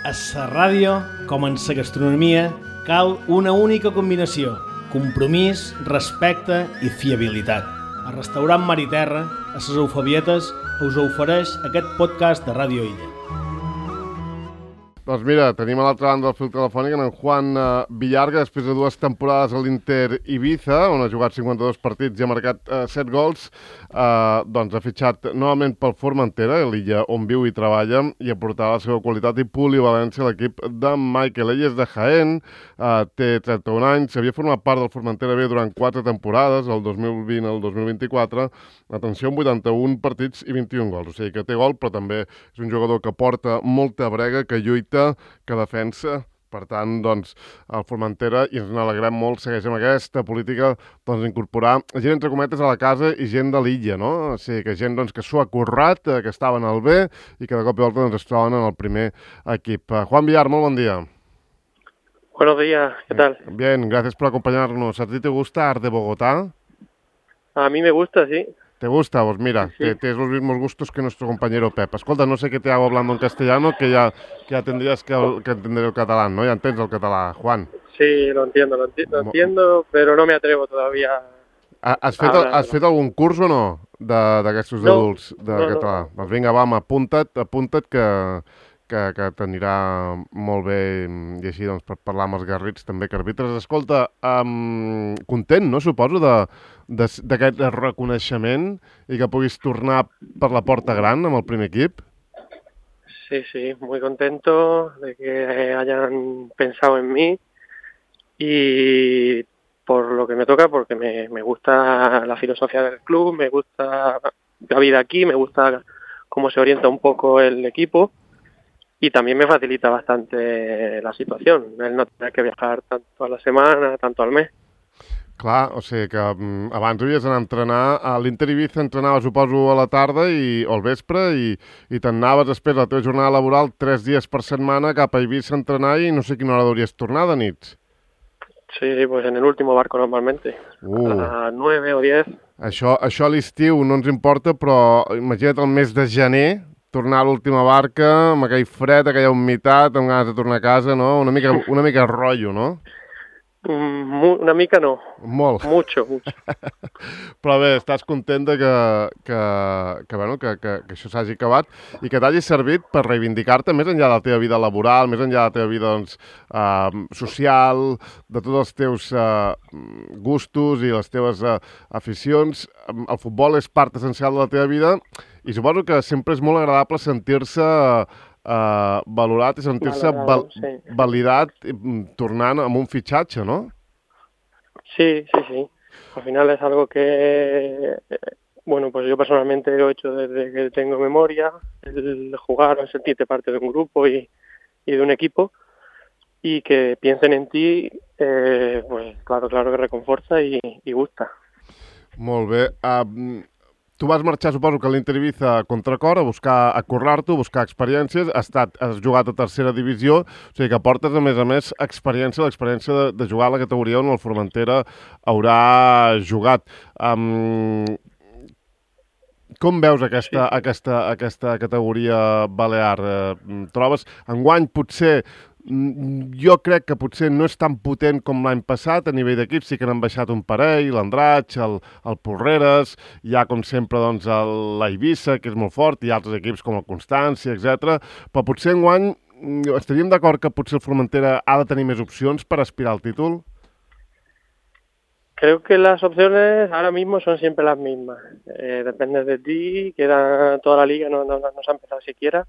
A la ràdio, com en la gastronomia, cal una única combinació: compromís, respecte i fiabilitat. El restaurant Mar i Terra, a les Eufebietes, us ofereix aquest podcast de Ràdio Illa. Doncs mira, tenim a l'altra banda del fil telefònic en Juan Villarga, després de 2 temporades a l'Inter Ibiza, on ha jugat 52 partits i ha marcat 7 gols, doncs ha fitxat novament pel Formentera, l'illa on viu i treballa, i aportarà la seva qualitat i polivalència a l'equip de Michael. Ell és de Jaén, té 31 anys, havia format part del Formentera B durant 4 temporades, el 2020 al 2024, atenció, amb 81 partits i 21 gols, o sigui que té gol, però també és un jugador que porta molta brega, que lluita, que defensa. Per tant, doncs, el Formentera, i ens n'alegrem molt, segueix amb aquesta política d'incorporar gent, entre cometes, a la casa i gent de l'illa, no? O sigui, que gent que s'ho ha currat, que estaven al B i que de cop i volta es troben en el primer equip. Juan Villar, molt bon dia. Buenos días, ¿qué tal? Bien, gracias por acompañarnos. ¿A ti te gusta Art de Bogotá? A mí me gusta, sí. ¿Te gusta? Pues mira, sí. Tienes los mismos gustos que nuestro compañero Pep. Escolta, no sé qué te hago hablando en castellano, que ya tendrías que entender el catalán, ¿no? Ya entiendes el catalán, Juan. Sí, lo entiendo, pero no me atrevo todavía. Has fet algun curs o no d'aquests adults de català? No. Doncs vinga, va, apunta't que t'anirà molt bé, i així doncs per parlar amb els garrits també que arbitres. Escolta, content, no, suposo, d'aquest reconeixement i que puguis tornar per la porta gran amb el primer equip? Sí, muy contento de que hayan pensado en mí y por lo que me toca, porque me gusta la filosofía del club, me gusta la vida aquí, me gusta cómo se orienta un poco el equipo. Y también me facilita bastante la situación, el no tener que viajar tanto a la semana, tanto al mes. Clar, o sigui que abans havies d'anar a entrenar, a l'Inter Ibiza entrenaves, suposo, a la tarda o al vespre i te'n anaves després de la teva jornada laboral 3 dies per setmana cap a Ibiza a entrenar i no sé quina hora hauries tornar de nits. Sí, pues en el último barco normalmente, a las 9 o 10. Això a l'estiu no ens importa, però imagina't el mes de gener, tornar a l'última barca, amb aquell fred, aquella humitat, amb ganes de tornar a casa, no? Una mica rotllo, no? Una mica no. Molt. Mucho. Però bé, estàs content que això s'hagi acabat i que t'hagi servit per reivindicar-te més enllà de la teva vida laboral, més enllà de la teva vida social, de tots els teus gustos i les teves aficions. El futbol és part essencial de la teva vida i suposo que sempre és molt agradable sentir-se valorat i sentir-se validat tornant amb un fitxatge, ¿no? Sí. Al final es algo que, bueno, pues yo personalmente lo he hecho desde que tengo memoria, el jugar o sentirte parte de un grupo y de un equipo, y que piensen en ti, pues claro que reconforta y gusta. Molt bé. Tu vas marxar, suposo que a l'Inter Ibiza a contracor, a currar-t'ho, a buscar experiències, has jugat a tercera divisió, o sigui que portes, a més, l'experiència de jugar a la categoria on el Formentera haurà jugat. Com veus aquesta categoria balear? Trobes, enguany potser, jo crec que potser no és tan potent com l'any passat a nivell d'equips, sí que n'han baixat un parell, l'Andratx, el Porreres, hi ha com sempre doncs l'Eivissa, que és molt fort, i altres equips com el Constància, etc. Però potser enguany estaríem d'acord que potser el Formentera ha de tenir més opcions per aspirar al títol? Creo que las opciones ahora mismo son siempre las mismas. Depende de ti, queda toda la liga, no se ha empezado siquiera.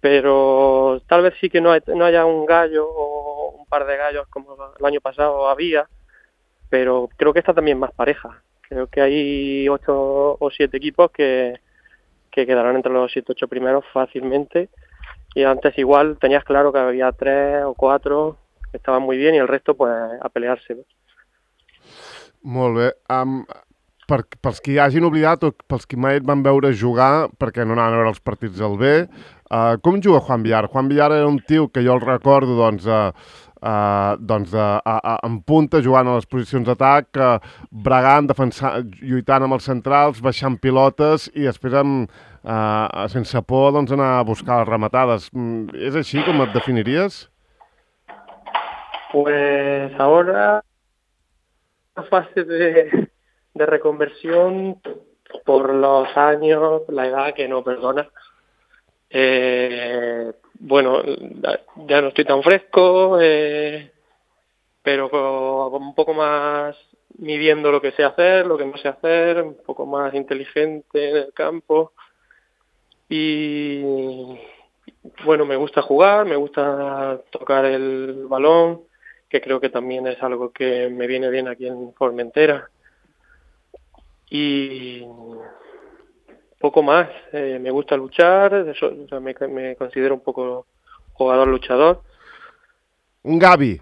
Pero tal vez sí que no haya un gallo o un par de gallos como el año pasado había, pero creo que está también más pareja. Creo que hay 8 o 7 equipos que quedarán entre los 7 o 8 primeros fácilmente, y antes igual tenías claro que había 3 o 4 que estaban muy bien y el resto pues a pelearse. Molt bé. Pels que hagin oblidat o pels que mai et van veure jugar, perquè no anaven a veure els partits del B, com juga Juan Villar? Juan Villar era un tio que jo el recordo, doncs, en punta, jugant a les posicions d'atac, bregant, lluitant amb els centrals, baixant pilotes i després sense por anar a buscar les rematades. És així com et definiries? Pues ahora la fase de reconversión por los años, la edad que no perdona. Bueno, ya no estoy tan fresco, pero un poco más midiendo lo que sé hacer, lo que no sé hacer, un poco más inteligente en el campo. Y bueno, me gusta jugar, me gusta tocar el balón, que creo que también es algo que me viene bien aquí en Formentera. Y poco más, me gusta luchar, me considero un poco jugador luchador. Un Gavi,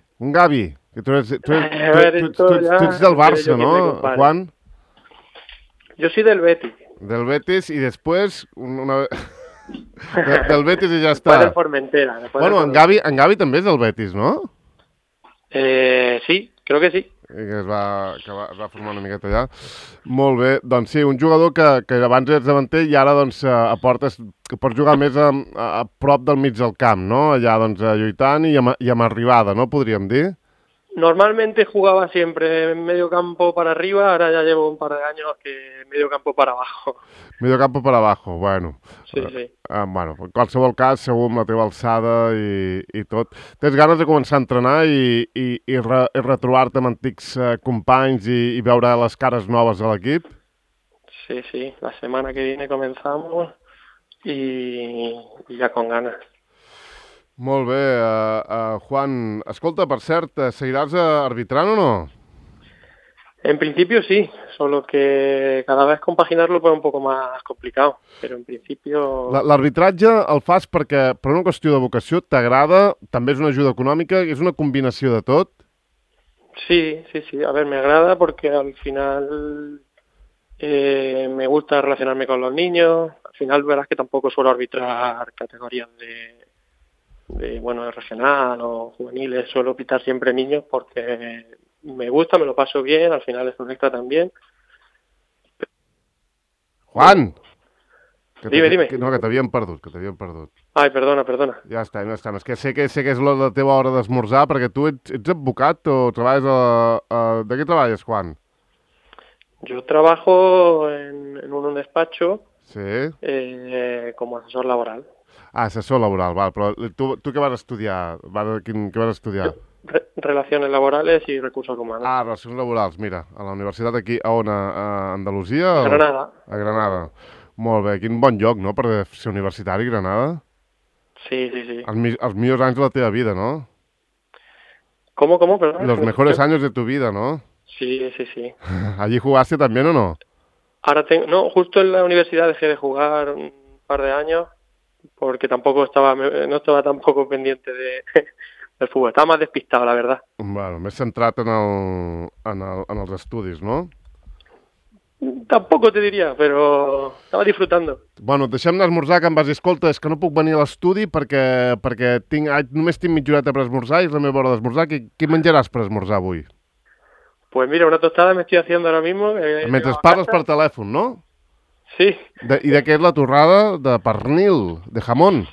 que tú eres del Barça, ¿no, Juan? Yo soy del Betis. Del Betis y después del Betis i ja està. Del Formentera. Bueno, en Gavi també és del Betis, no? Sí, creo que sí. Que es va formar una miqueta allà. Molt bé, doncs sí, un jugador que abans eres davanter i ara doncs aportes, que pots jugar més a prop del mig del camp, no? Allà doncs lluitant i amb arribada, no? Podríem dir. Normalmente jugaba siempre en medio campo para arriba, ahora ya llevo un par de años que medio campo para abajo. Medio campo para abajo, bueno. Sí, sí. Bueno, en qualsevol cas, segur amb la teva alçada i tot. Tens ganes de començar a entrenar i retrobar-te amb antics companys i veure les cares noves de l'equip? Sí, sí. La semana que viene comenzamos y ya con ganas. Molt bé, Juan. Escolta, per cert, seguiràs arbitrant o no? En principio sí, solo que cada vez compaginarlo pues un poco más complicado, pero en principio... L'arbitratge el fas perquè per una qüestió de vocació t'agrada, també és una ajuda econòmica, és una combinació de tot? Sí. A ver, me agrada porque al final me gusta relacionarme con los niños. Al final verás que tampoco suelo arbitrar categorías de regional o juveniles, suelo pitar siempre niños porque me gusta, me lo paso bien, al final es un extra también. Juan! Dime. No, que t'havíem perdut. Ai, perdona. Ja està. És que sé que és la teva hora d'esmorzar, perquè tu ets advocat o treballes ¿De què treballes, Juan? Yo trabajo en un despacho como asesor laboral. Assessor laboral, val. Però tu què vas estudiar? Què vas estudiar? Relaciones laborales y recursos humanos. Relacions laborals, mira, a la universitat aquí, a on? A Andalusia? A Granada. A Granada. Molt bé, quin bon lloc, no?, per ser universitari, Granada. Sí. Els millors anys de la teva vida, ¿no? ¿Cómo? Perdón. Los mejores años de tu vida, ¿no? Sí. ¿Allí jugaste también o no? No, justo en la universidad dejé de jugar un par de años porque no estaba tampoco pendiente del fútbol. Estaba más despistado, la verdad. Bueno, més centrat en els estudis, no? Tampoco te diría, pero estaba disfrutando. Bueno, deixem d'esmorzar, que em vas dir, escolta, és que no puc venir a l'estudi perquè només tinc mitja horeta per esmorzar i és la meva hora d'esmorzar. Què menjaràs per esmorzar avui? Pues mira, una tostada me estoy haciendo ahora mismo. Mentre parles per telèfon, no? Sí. I de què és la torrada? De pernil, de jamón?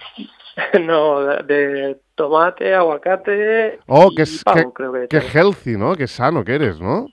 No, de tomate, aguacate y pavo, creo que. Que healthy, no? Que sano que eres, no?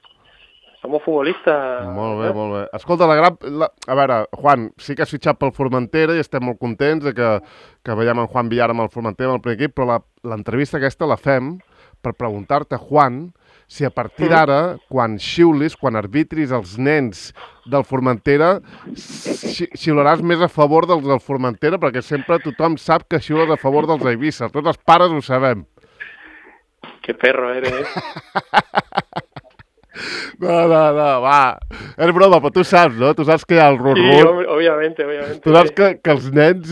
Somos futbolistas. Molt bé. Escolta, a veure, Juan, sí que has fitxat pel Formentera i estem molt contents de que veiem en Juan Villar amb el Formentera, amb el primer equip, però l'entrevista aquesta la fem per preguntar-te, Juan, si a partir d'ara, quan xiulis, quan arbitris els nens del Formentera, xiularàs més a favor dels del Formentera, perquè sempre tothom sap que xiules a favor dels Eivissa. Tots els pares ho sabem. Que perro eres. No, va. És broma, però tu saps, no? Tu saps que hi ha el run-run. Sí, obviamente. Tu saps que els nens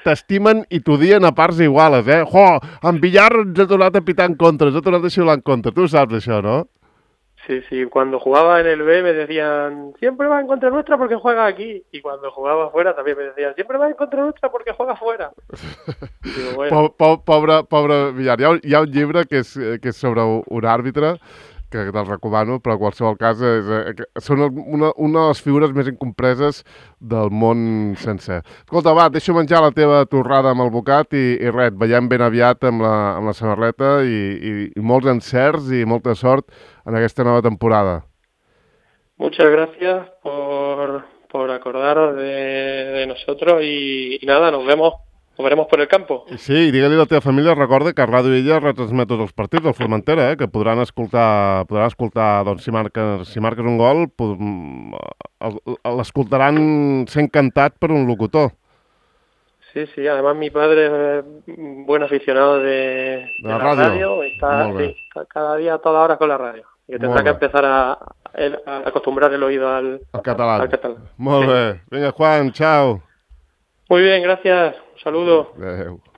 t'estimen i t'odien a parts iguales, eh? En Villar ens ha tornat a pitar en contra, ens ha tornat a xiular en contra. Tu saps això, no? Sí, cuando jugaba en el B me decían, siempre va en contra nuestra porque juega aquí. Y cuando jugaba afuera también me decían, siempre va en contra nuestra porque juega afuera. Digo, bueno. Pobre Villar. Hi ha un llibre que és sobre un àrbitre, que te'l recomano, però en qualsevol cas són una de les figures més incompreses del món sencer. Escolta, va, deixo menjar la teva torrada amb el bocat i res, veiem ben aviat amb la samarreta i molts encerts i molta sort en aquesta nova temporada. Muchas gracias por acordaros de nosotros y nada, nos veremos por el campo. Sí, i digue-li a la teva família, recorda que Ràdio Illa retransmet tots els partits del Formentera, que podran escoltar doncs, si marques un gol, l'escoltaran sent cantat per un locutor. Sí, además mi padre es buen aficionado de la radio, está cada día a toda hora con la radio. Y que tendrá que empezar a acostumbrar el oído al catalán. Molt bé. Vinga, Juan, chao. Muy bien, gracias. Un saludo. Adéu.